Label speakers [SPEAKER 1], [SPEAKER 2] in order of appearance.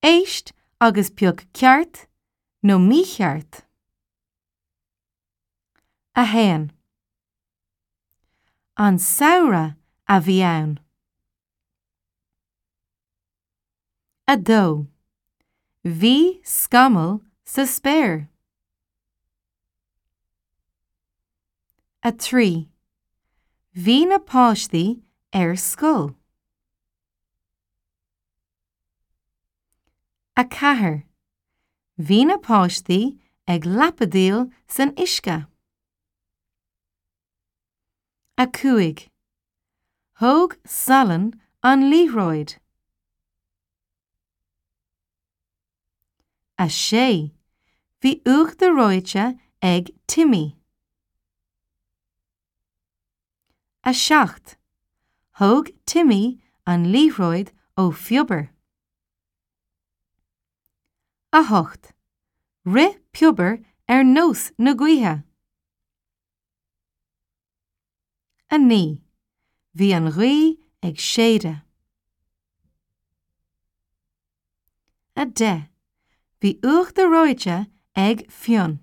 [SPEAKER 1] Éist agus pioc ceart nó mícheart. 1. An samhradh a bhí ann. 2. Bhí scamaill sa spéir. 3. Bhí na páistí ar scoil. 4. Bhí na páistí ag lapadaíl san uisce. 5. Thóg Salann an liathróid. 6. Bhí uachtar reoite ag Timmy. 7. Thóg Timmy an liathróid ó Phiobar. 8. Rith Piobar ar nós na gaoithe. 9. Bhí an ghaoth ag séideadh. 10. Bhí uachtar reoite ag Fionn.